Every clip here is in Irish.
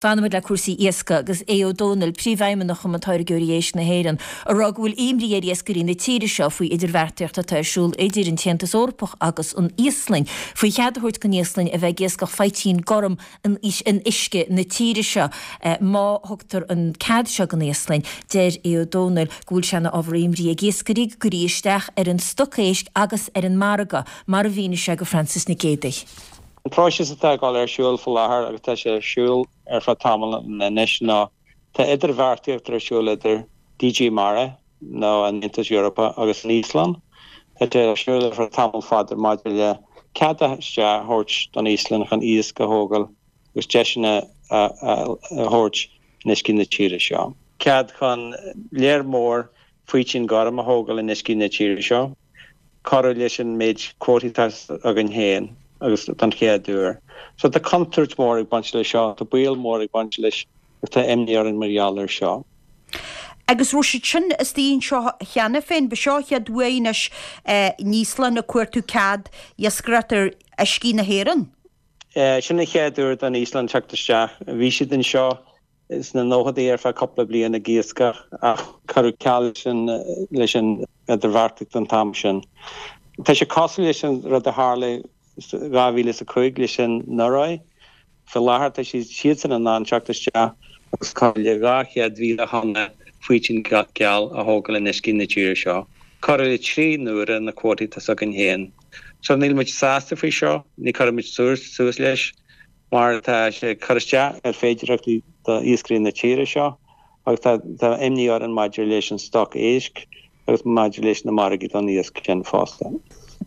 Fanfaimid le cúrsaí iascaigh agus Aodh Ó Domhnaill, Príomhfheidhmeannach Chumann Táirgeoirí Éisc na hÉireann, ag rá go bhfuil imní ar iascairí na tíre seo faoi idirbheartaíocht atá ar siúl idir an tAontas Eorpach agus an Íoslainn faoi chead a thabhairt don Íoslainn a bheith ag iascach faoitín gorm in uisce na tíre seo. Má thugtar an cead seo don Íoslainn, deir Aodh Ó Domhnaill go bhfuil sé ina ábhar imní ag iascairí go gcuirfí isteach ar an stoc éisc agus ar an margadh, mar a mhínigh sé go Frances Nic Géadaigh. An próiseas atá ag dul ar siúl faoi láthair agus tá sé ar siúl ar feadh tamaill anois ná tá idirbheartaíocht ar siúl idir DG Mare nó an Aontas Eorpach agus an Íoslainn. Tá sé ar siúl ar feadh tamall fada maidir le cead isteach a thabhairt don Íoslainn chun iasc a thógáil agus deiseanna a thabhairt in uiscí na tíre seo. Cead chun léar mór faoitín gorm a thógáil in uiscí na tíre seo. Corradh leis an méid cuótaí atá againn féin agus don chéad uair. So tá contúirt mhór ag baint leis seo, tá baol mór ag baint leis agus tá imní orainn mar gheall air seo. Agus raibh siad sin istigh anseo cheana féin? Ba seo an chéad uair anois an Íoslainn ag cuartú cead iascaireacht ar uiscí na hÉireann? Sin an chéad uair don Íoslainn teacht isteach. Bhí siad anseo sna nóchaidí ar feadh cúpla bliain ag iascach ach cuireadh ceal leis an idirbheartaíocht an t-am sin. Tá sé cosúil leis an rud a tharla 2005 leis an Ioruaidh. Faoi láthair tá siad siadsan in ann teacht isteach agus corradh le 200,000 thonna faoitín geal a thógáil in uiscí na tíre seo. Corradh le 3 n-uaire na cuótaí atá againn féin. So níl muid sásta faoi seo, ní chuirfidh muid suas leis. mar tá sé ag cur isteach ar féidearthachtaí d'iascairí na tíre seo agus tá imní orainn maidir leis an stoc éisc agus maidir leis na margaí don iasc sin fosta.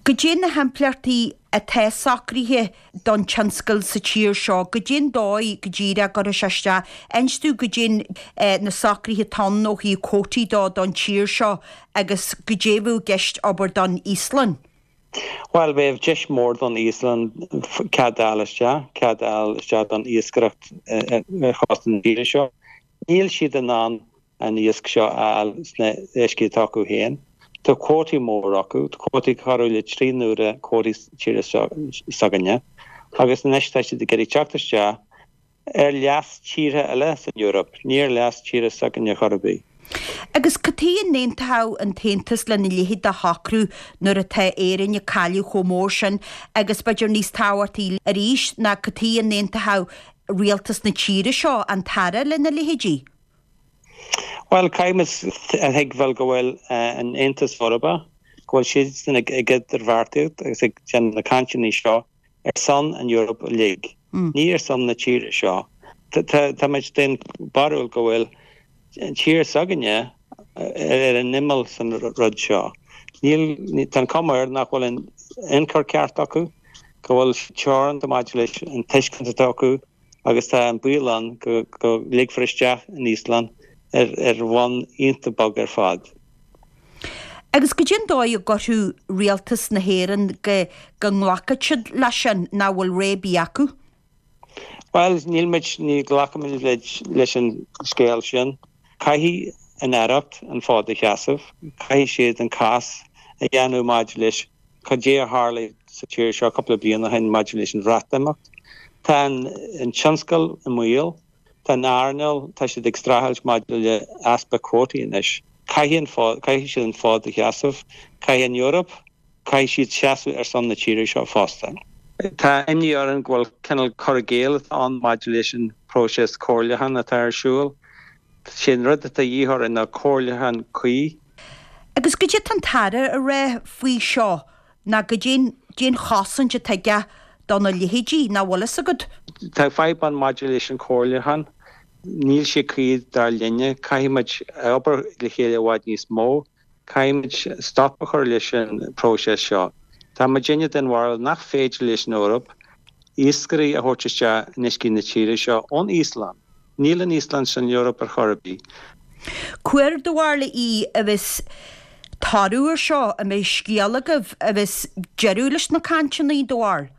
Goidé na himpleachtaí atá socraithe don tionscal sa tír seo? Goidé an dóigh go díreach a gcuirfidh sé isteach? Inis dúinn goidé na socruithe atá ann ó thaobh cuótaí dó don tír seo agus goidé a bheadh i gceist abair don Íoslainn? Bhuel, bheadh deis mhór don Íoslainn cead a fháil isteach, cead a fháil isteach don iascaireacht ar chósta na tíre seo. Níl siad in ann an iasc seo a fháil sna uiscí atá acu féin. Tá cuótaí mór acu, tá cuótaí corradh le 3 n-uaire cuótaí tíre s'againne, agus anois tá siad ag iarraidh teacht isteach ar leas tíortha eile san Eoraip, ní ar leas tíre s'againne chor ar bith. Agus cad chuige a n-aontódh an tAontas lena leithéid de shocrú nuair atá Éirinn ag cailleadh chomh mór sin agus b'fhéidir níos tábhachtaí arís ná cad chuige a n-aontódh rialtas na tíre seo, an tAire, lena leithéidí? Bhuel, caithfidh muid a thuigbheáil go bhfuil an Aontas Eorpach, go bhfuil siadsan ag idirbheartaíocht agus ag déanamh na cainteanna seo ar son an Eoraip uilig, ní ar son na tíre seo. Tá muid den barúil go bhfuil an tír s'againne ar an imeall san rud seo. Níl, tá an cuma air nach bhfuil an ionchur ceart acu, go bhfuil teoranta maidir leis an tuiscint atá acu agus tá an baol ann go go ligfear isteach an Íoslainn ar ar bhonn iontach bog ar fad. Agus goidé an dóigh a gcuirfeadh rialtas na hÉireann go go nglacfadh siad leis sin, nach bhfuil rogha ar bith acu? Bhuel, níl muid, ní ghlacfaimid leis an scéal sin. Caithfidh an Aireacht an fód a sheasamh, caithfidh siad an cás a dhéanamh maidir leis cad é a tharla sa tír seo cúpla bliain ó shin maidir leis an Bhreatimeacht. Tá an tionscal i mbaol. Tá an earnáil, tá siad ag streachailt maidir le easpa cuótaí anois. Caithfidh an fód, caithfidh siad an fód a sheasamh. Caithfidh an Eoraip, caithfidh siad seasamh ar son na tíre seo fosta. Tá imní orainn go bhfuil cineál cur i gcéill atá ann maidir leis an bpróiseas comhairliúcháin atá ar siúl. Sé an rud atá de dhíth orainn ná comhairliúchán cuí. Agus goidé tá an tAire a rá faoi seo ná goidé an chosaint atá aige do na leithéidí, nach bhfuil fhios agat. Tá fadhb ann maidir leis an chomhairliúchán. Níl sé cuí dar linne. Caithfidh muid obair le chéile i bhfad níos mó. Caithfidh muid stop a chur leis an bpróiseas seo. Tá muidinne den bharúil nach féidir leis an Eoraip iascairí a thabhairt isteach in uiscí na tíre seo ón Íoslainn. Níl an Íoslainn san Eoraip ar chor ar bith. Cá huair do bharúil í a bheas toradh ar seo, an mbeidh scéal agaibh, a bheas deireadh leis na cainteanna, do bharúil?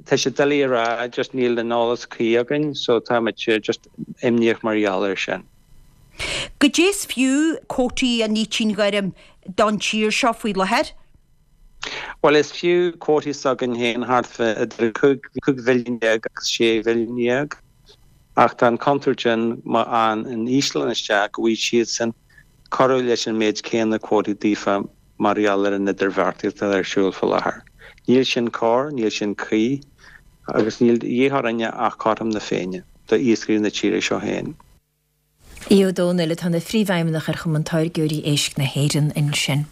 Tá sé doiligh a rá, just níl an eolas cuí againn so tá muid just imníoch mar gheall air sin. Goidé is fiú cuótaí an fhaoitín ghoirm don tír seo faoi láthair? Bhuel, is fiú cuótaí s'againn féin thart fá idir 15 mhilliún agus 16 mhilliún. Ach tá an chontúirt ann má fhaigheann an Íoslainn isteach go bhfaighidh siadsan corradh leis an méid céanna cuótaí daofa mar gheall ar an idirbheartaíocht atá ar siúl faoi láthair. Níl sin cóir, níl sin cuí agus níl de dhíth orainne ach cothrom na Féinne do iascairí na tíre seo féin. Aodh Ó Domhnaill atá ina Phríomhfheidhmeannach ar Chumann Táirgeoirí Éisc na hÉireann ansin.